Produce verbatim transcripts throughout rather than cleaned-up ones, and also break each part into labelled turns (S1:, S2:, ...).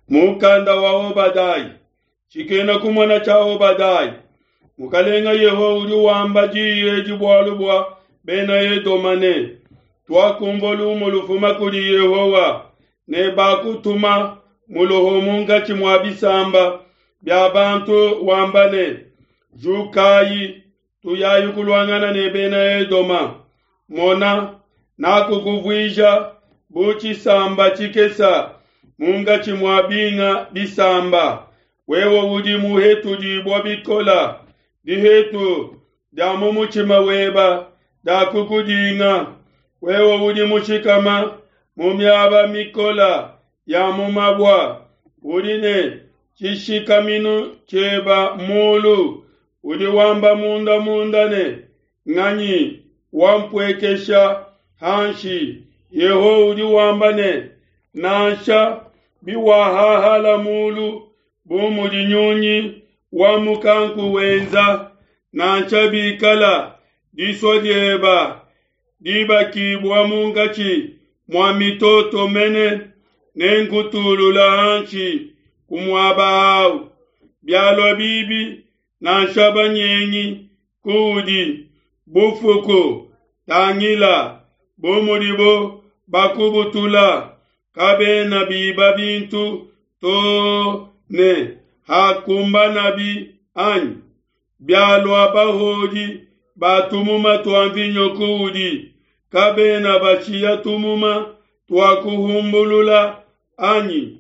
S1: Mukanda wa Obadaya, tshikena kumona tshia Obadaya. Mukalenga Yehowa udi wamba diyi edi bualu bua bena Edoma ne, Tuakumvua lumu lufuma kudi Yehowa ne bakutuma muloho munkatshi mua bisamba bia bantu wamba ne, Jukayi, tuyayi kuluangana ne bena Edoma. Mona, nakukuvuija bu tshisamba tshikesa munkatshi mua binga bisamba. Wewe udi muhetudibua bikola, dihetu dia mu mutshima weba diakukudinga. Wewe udi mushikama mu miaba mikola ya mu mabua, udi ne tshishikaminu tshieba mulu, udi wamba munda munda ne, nganyi wampuekesha hanshi? Yehowa udi wamba ne, nansha biwahahala mulu bu mudi nyunyi wa mukanku wenza, nansha bikala disua dieba dibakibua munkatshi mua mitoto mene, nenkutulula hanshi ku muaba awu. Bialua bibi nansha banyengi kuudi bufuku, tangila bu mudibo bakubutula, kabena biba bintu to ne hakumbanabi anyi? Bialua bahodi ba tumuma tua mvinyo kuudi, kabena bashiya tumuma tua kuhumbulula anyi?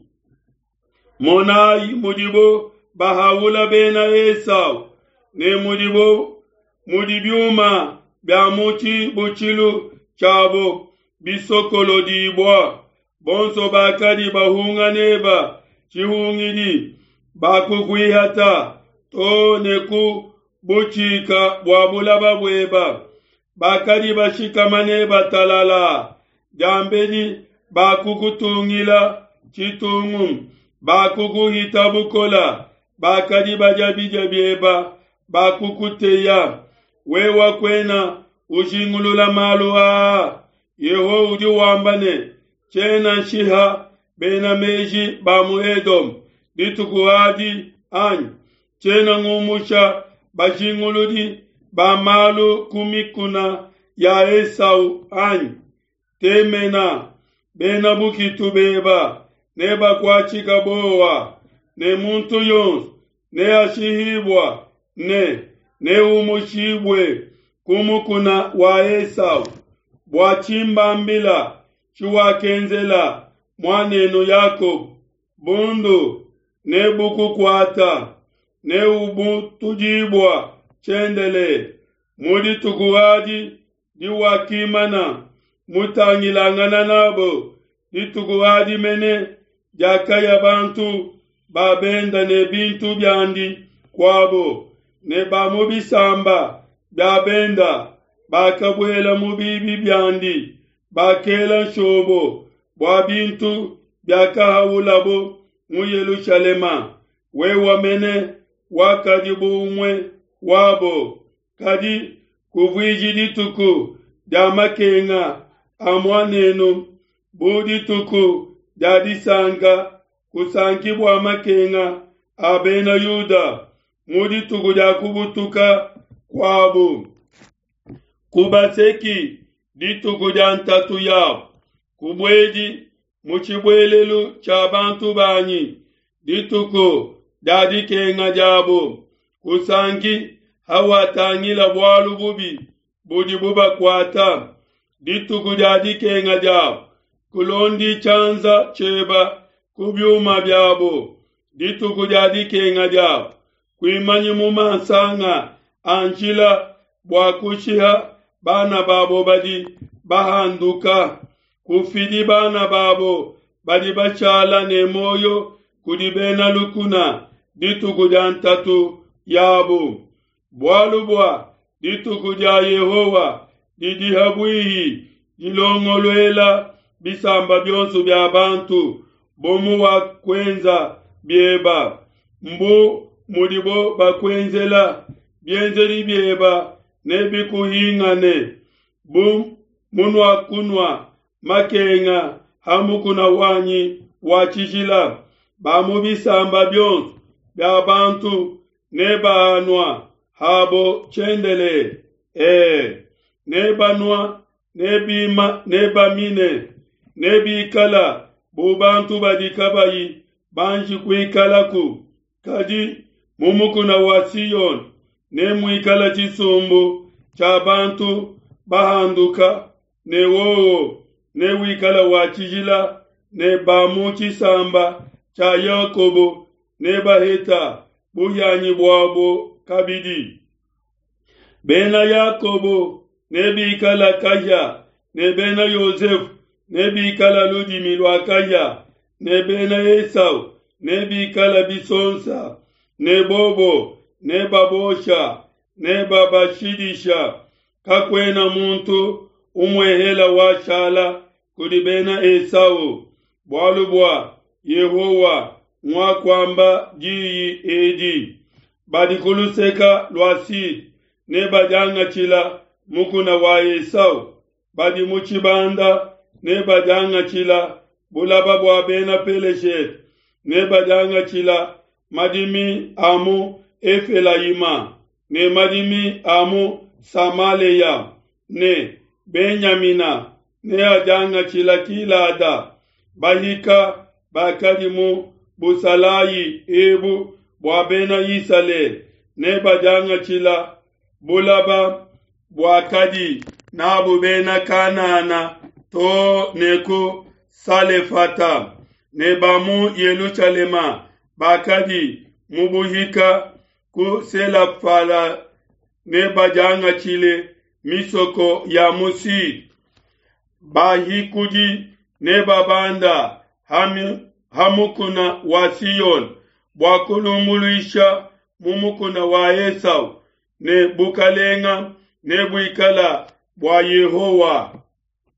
S1: Monayi mudibo bahaula bena Esau, ne mudibo mudi biuma bia mu tshibutshilu tshiabo bisokolodibua. Bonso bakadi bahunga neba tshihungidi bakukuihata to ne ku butshika bua bulaba bueba. Bakadi bashikama neba talala, diambedi bakukutungila tshitungu, bakukuhita bukola, bakadi badia bidia bieba, bakukuteya. Wewe kuena ujingulula malu aa. Yehowa udi wamba ne, tshiena nshiha bena meji ba mu Edom dituku adi anyi? Tshiena ngumusha bajinguludi ba malu ku mikuna ya Esau anyi? Temena, bena bukitu beba nebakuatshika bowa, ne muntu yonso neashihibua ne neumushibue ku mukuna wa Esau. Bua tshimbambila tshiwakenzela muanenu Yakobo, bundu nebukukuata, neubutudibua tshiendelele. Mu dituku adi diwakimana mutangilangana nabo, dituku adi mene diakaya bantu ba benda ne bintu biandi kuabo, ne ba mu bisamba bia benda bakabuela mu bibi biandi, bakela nshobo bua bintu biakahaulabo mu Yelushalema. Wewe mene wakadi bu umue wabo, kadi kuvuiji dituku dia makenga a muanenu bu dituku dia disanka, kusanki bua makenga a bena Yuda mu dituku dia kubutuka kuabo. Kubaseki dituku dia ntatu yabo, kubuedi mu tshibuelelu tshia bantu banyi dituku dia dikenga diabo. Kusanki hawatangila bualu bubi budi bubakuata dituku dia dikenga diabo. Kulondi tshianza tshieba ku biuma biabo dituku dia dikenga diabo. Kuimanyi mu mansanga a njila bua kushiha bana babo badi bahanduka. Kufidi bana babo badi bashala ne moyo kudi bena lukuna dituku dia ntatu yabo. Bualu bua dituku dia Yehowa didi habuihi, dilongoluela bisamba bionso bia bantu, bu muwakuenza bieba, mbu mudibo bakuenzela, bienzedi bieba nebikuhingane. Bu munuakunua makenga ha mukuna wanyi wa tshijila, Ba mu bisamba bionso bia bantu nebaanua habo tshiendelele. E, nebanua nebima nebamine nebikala bu bantu badi kabayi banji kuikalaku. Kadi mu mukuna wa Siyone nemuikala tshisumbu tshia bantu bahanduka, ne wowo newikala wa tshijila, ne ba mu tshisamba tshia Yakobo nebaheta buhianyi buabo kabidi. Bena Yakobo nebikala kahia, ne bena Yosefe nebikala ludimi lua kahia, ne bena Esau nebikala bisonsa, ne bobo nebabosha, nebabashidisha. Kakuena muntu umuehela washala kudi bena Esau, bualu bua Yehowa nguakuamba diyi edi. Badi ku luseke lua Sud nebadiangatshila mukuna wa Esau, badi mu tshibanda nebadiangatshila bulaba bua bena Peleshete, nebadiangatshila madimi a mu Efelayima ne madimi a mu Samalea, ne Benyamina neadiangatshila Gilada. Bahika bakadi mu busalayi ebu bua bena Isalele nebadiangatshila bulaba buakadi nabu bena Kanana to ne ku Salefata, ne ba mu Yelushalema bakadi mu buhika ku Selafala nebadiangatshile misoko ya mu Sud. Bahikudi nebabanda ha mukuna wa Siyone bua kulumbuluisha mu mukuna wa Esau, ne bukalenga nebuikala bua Yehowa.